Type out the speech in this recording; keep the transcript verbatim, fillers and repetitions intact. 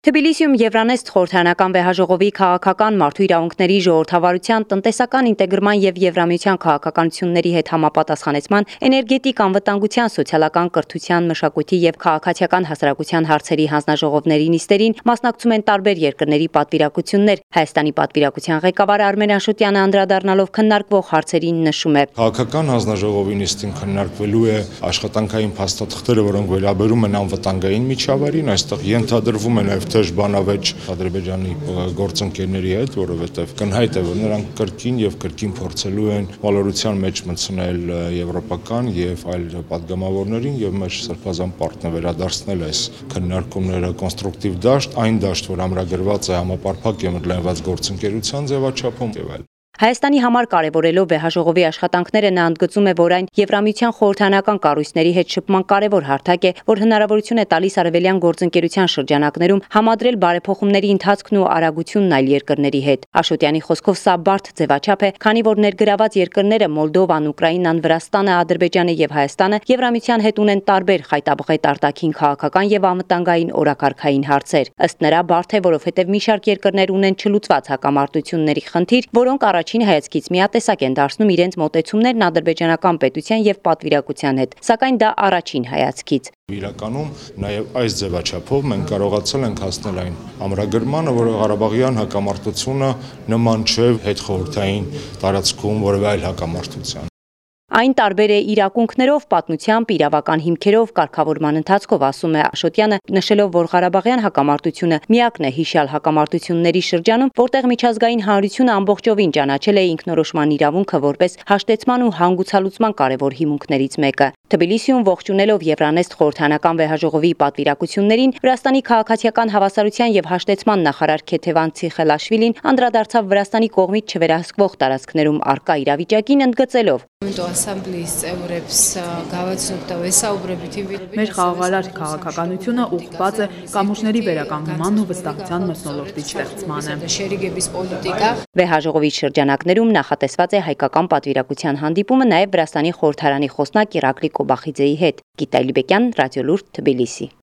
Թբիլիսիում Եվրանեստ խորհրդարանական վեհաժողովի քաղաքական մարդու իրավունքների ժողովրդավարության, տնտեսական ինտեգրման եւ Եվրամիության քաղաքականությունների հետ համապատասխանեցման, էներգետիկ անվտանգության, սոցիալական կրթության, մշակույթի եւ քաղաքացիական հասարակության հարցերի հանձնաժողովների նիստերին մասնակցում են տարբեր երկրների պատվիրակություններ։ Հայաստանի պատվիրակության ղեկավար Արմեն Աշոտյանը անդրադառնալով քննարկվող հարցերին նշում է. Քաղաքական հանձնաժողովի նիստին քննարկվելու է աշխատանքային փաստաթղթերը, որոնք վերաբերում են անվտանգային միջավայրին, այստեղ ենթադրվում է նաեւ բանավեճ Ադրբեջանի գործընկերների հետ, որովհետև կնհայտ է, որ նրանք կրկին եւ կրկին փորձելու են վալորության մեջ մտցնել եվրոպական եւ այլ պատգամավորներին եւ մեր սրբազան պարտը վերադարձնել այս քննարկումները կոնստրուկտիվ դաշտ, այն դաշտ, որ ամրագրված է համապարփակ եւ ընդլայնված գործընկերության ձևաչափում եւ այլ։ Հայաստանի համար կարևորելով վեհաժողովի աշխատանքները նա ընդգծում է, որ այն Եվրամիության խորհրդարանական կառույցների հետ շփման կարևոր հարթակ է, որ հնարավորություն է տալիս արևելյան գործընկերության շրջանակներում համադրել բարեփոխումների ընթացքն ու արագությունն այլ երկրների հետ։ Աշոտյանի խոսքով սա բարդ ձևաչափ է, քանի որ ներգրաված երկրները Մոլդովան, Ուկրաինան, Վրաստանը, Ադրբեջանը եւ Հայաստանը Եվրամիության հետ ունեն տարբեր խայտաբղետ արտաքին քաղաքական եւ անվտանգային օրակարգային հարցեր։ Ըստ նրա բարդ է, որովհետեւ մի շարք երկրներ ունեն չլուծված հակամարտությունների խնդիր, որոնք առաջին հայացքից միատեսակ են դարձնում իրենց մոտեցումներն ադրբեջանական պետության եւ պատվիրակության հետ, սակայն դա առաջին հայացքից։ Իրականում նաև այս ձևաչափով մենք կարողացել ենք հասնել այն ամրագրմանը, որ Ղարաբաղյան հակամարտությունը նման չէ հետխորհրդային տարածքում որևէ այլ հակամարտության։ Այն տարբեր է իրավունքներով, պատմությամբ, իրավական հիմքերով, կարգավորման ընթացքով, ասում է Աշոտյանը, նշելով, որ Ղարաբաղյան հակամարտությունը միակն է հիշյալ հակամարտությունների շրջանում, որտեղ միջազգային հանրությունը ամբողջովին ճանաչել է ինքնորոշման իրավունքը որպես հաշտեցման ու հանգուցալուծման կարևոր հիմունքներից մեկը։ Թբիլիսիում ողջունելով Եվրանեստ խորհրդարանական վեհաժողովի պատվիրակություններին, Վրաստանի քաղաքացիական հավասարության եւ հաշտեցման նախարար Քեթևան Ցիխելաշվիլին անդրադարձավ Վրաստանի կողմից չվերահսկվող տարածքներում առկա իրավիճակին, ընդգծելով. Մեր խաղաղարար քաղաքականությունը ուղղված է կամուրջների վերականգնման ու վստահության մթնոլորտի ստեղծմանը։ Վեհաժողովի շրջանակներում նախատեսված է հայկական պատվիրակության հանդիպումը նաև Վրաստանի խորհրդարանի խոսնակ Իռակլի Կոբախիձեի հետ։ Գիտա Իլբեկյան, Ռադիոլուրդ, Թբիլիսի։